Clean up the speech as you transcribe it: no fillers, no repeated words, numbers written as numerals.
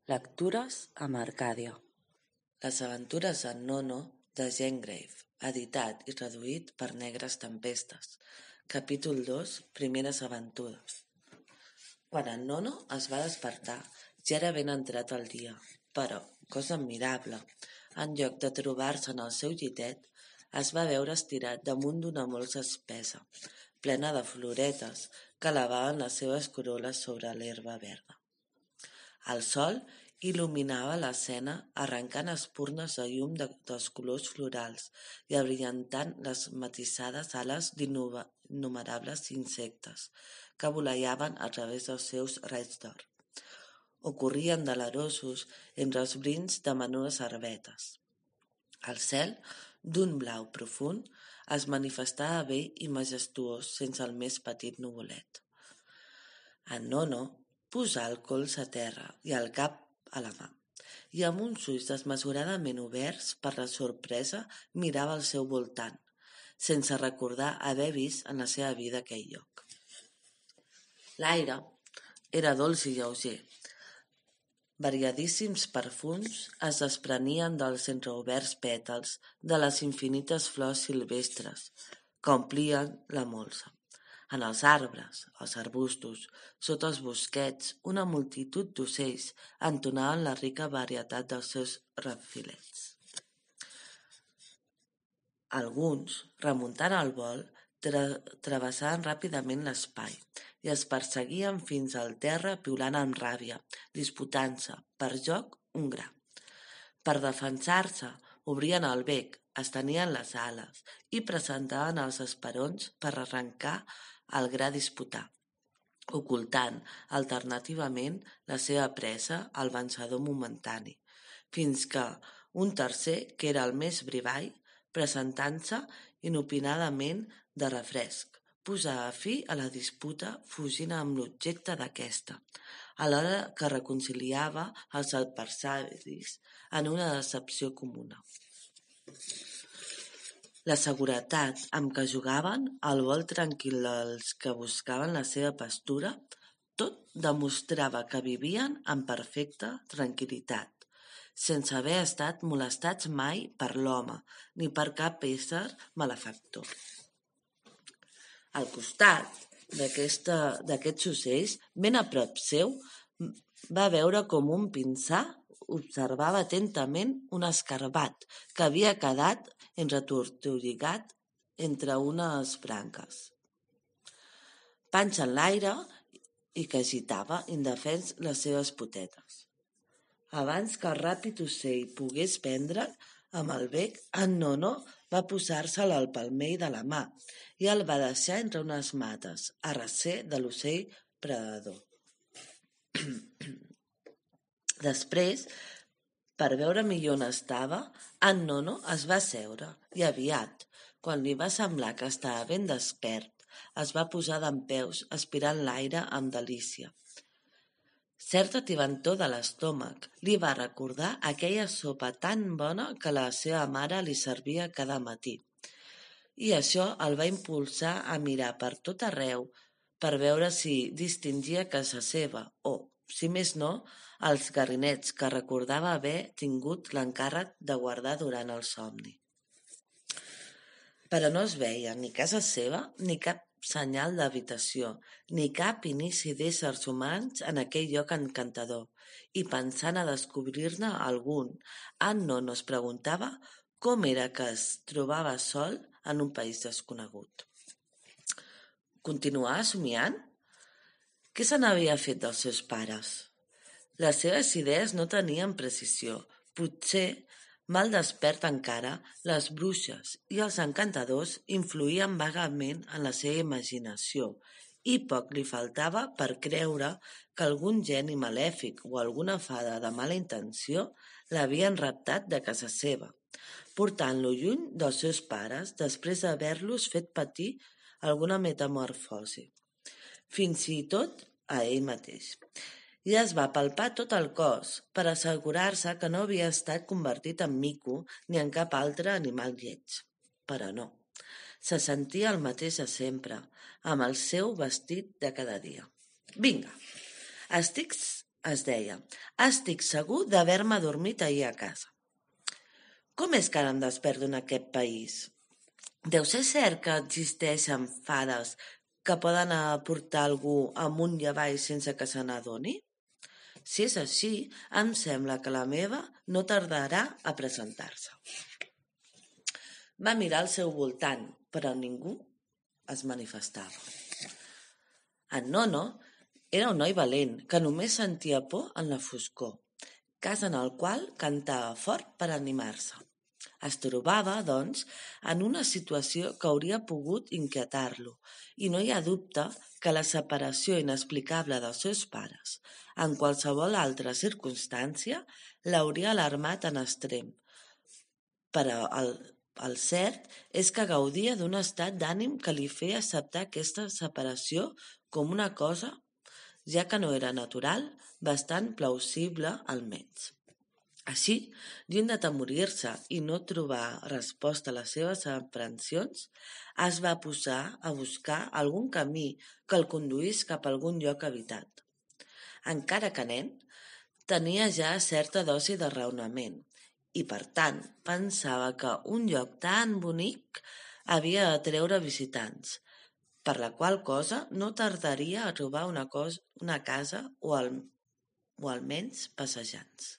Lectures amb Arcàdia. Les aventures en Nono de Jane Grave, editat i traduït per Negres Tempestes. Capítol 2, primeres aventures. Quan en Nono es va despertar, ja era ben entrat el dia, però, cosa admirable, en lloc de trobar-se en el seu llitet, es va veure estirat damunt d'una molsa espessa, plena de floretes que lavaven les seves corol·les sobre l'herba verda. El sol il·luminava l'escena arrencant espurnes de llum dels colors florals i abrillantant les matissades ales d'innumerables insectes que voleiaven a través dels seus raigs d'or o corrien delerosos entre els brins de menudes herbetes. El cel, d'un blau profund, es manifestava bell i majestuós sense el més petit nuvolet. En Nono posà el colze a terra i el cap a la mà, i amb uns ulls desmesuradament oberts per la sorpresa mirava al seu voltant, sense recordar haver vist en la seva vida aquell lloc. L'aire era dolç i lleuger. Variadíssims perfums es desprenien dels entreoberts pètals de les infinites flors silvestres que omplien la molsa. En els arbres, els arbustos, sota els bosquets, una multitud d'ocells entonaven la rica varietat dels seus refilets. Alguns, remuntant el vol, travessaven ràpidament l'espai i es perseguien fins al terra piulant amb ràbia, disputant-se, per joc, un gra. Per defensar-se, obrien el bec, estenien les ales i presentaven els esperons per arrencar el gra a disputar, ocultant alternativament la seva presa al vencedor momentani, fins que un tercer, que era el més brivall, presentant-se inopinadament de refresc, posava fi a la disputa fugint amb l'objecte d'aquesta, alhora que reconciliava els adversaris en una decepció comuna. La seguretat amb què jugaven, el vol tranquil dels que buscaven la seva pastura, tot demostrava que vivien en perfecta tranquil·litat, sense haver estat molestats mai per l'home ni per cap ésser malefactor. Al costat d'aquests ocells, ben a prop seu, va veure com un pinsà observava atentament un escarabat que havia quedat entretortolligat entre unes branques, panxa en l'aire, i que agitava, indefens, les seves potetes. Abans que el ràpid ocell pogués prendre'l amb el bec, en Nono va posar-se'l al palmell de la mà i el va deixar entre unes mates, a recer de l'ocell predador. Després, per veure millor on estava, en Nono es va asseure i aviat, quan li va semblar que estava ben despert, es va posar dempeus aspirant l'aire amb delícia. Certa tibantor de l'estómac li va recordar aquella sopa tan bona que la seva mare li servia cada matí, i això el va impulsar a mirar per tot arreu per veure si distingia casa seva o, si més no, els garrinets que recordava haver tingut l'encàrrec de guardar durant el somni. Però no es veia ni casa seva, ni cap senyal d'habitació, ni cap inici d'éssers humans en aquell lloc encantador, i pensant a descobrir-ne algun, en Nono es preguntava com era que es trobava sol en un país desconegut. Continuava somiant? Què se n'havia fet dels seus pares? Les seves idees no tenien precisió. Potser, mal despert encara, les bruixes i els encantadors influïen vagament en la seva imaginació i poc li faltava per creure que algun geni malèfic o alguna fada de mala intenció l'havien raptat de casa seva, portant-lo lluny dels seus pares després d'haver-los fet patir alguna metamorfosi, fins i tot a ell mateix. I es va palpar tot el cos per assegurar-se que no havia estat convertit en mico ni en cap altre animal lleig. Però no, se sentia el mateix de sempre, amb el seu vestit de cada dia. Vinga, estic Es deia: «Estic segur d'haver-me adormit ahir a casa. Com és que ara em desperto en aquest país? Deu ser cert que existeixen fades que poden portar algú amunt i avall sense que se n'adoni? Si és així, em sembla que la meva no tardarà a presentar-se». Va mirar al seu voltant, però ningú es manifestava. En Nono era un noi valent que només sentia por en la foscor, cas en el qual cantava fort per animar-se. Es trobava, doncs, en una situació que hauria pogut inquietar-lo, i no hi ha dubte que la separació inexplicable dels seus pares, en qualsevol altra circumstància, l'hauria alarmat en extrem. Però el cert és que gaudia d'un estat d'ànim que li feia acceptar aquesta separació com una cosa, ja que no era natural, bastant plausible almenys. Així, lluny d'atemorir-se i no trobar resposta a les seves aprensions, es va posar a buscar algun camí que el conduís cap a algun lloc habitat. Encara que nen, tenia ja certa dosi de raonament i, per tant, pensava que un lloc tan bonic havia d'atreure visitants, per la qual cosa no tardaria a trobar una casa o almenys passejants.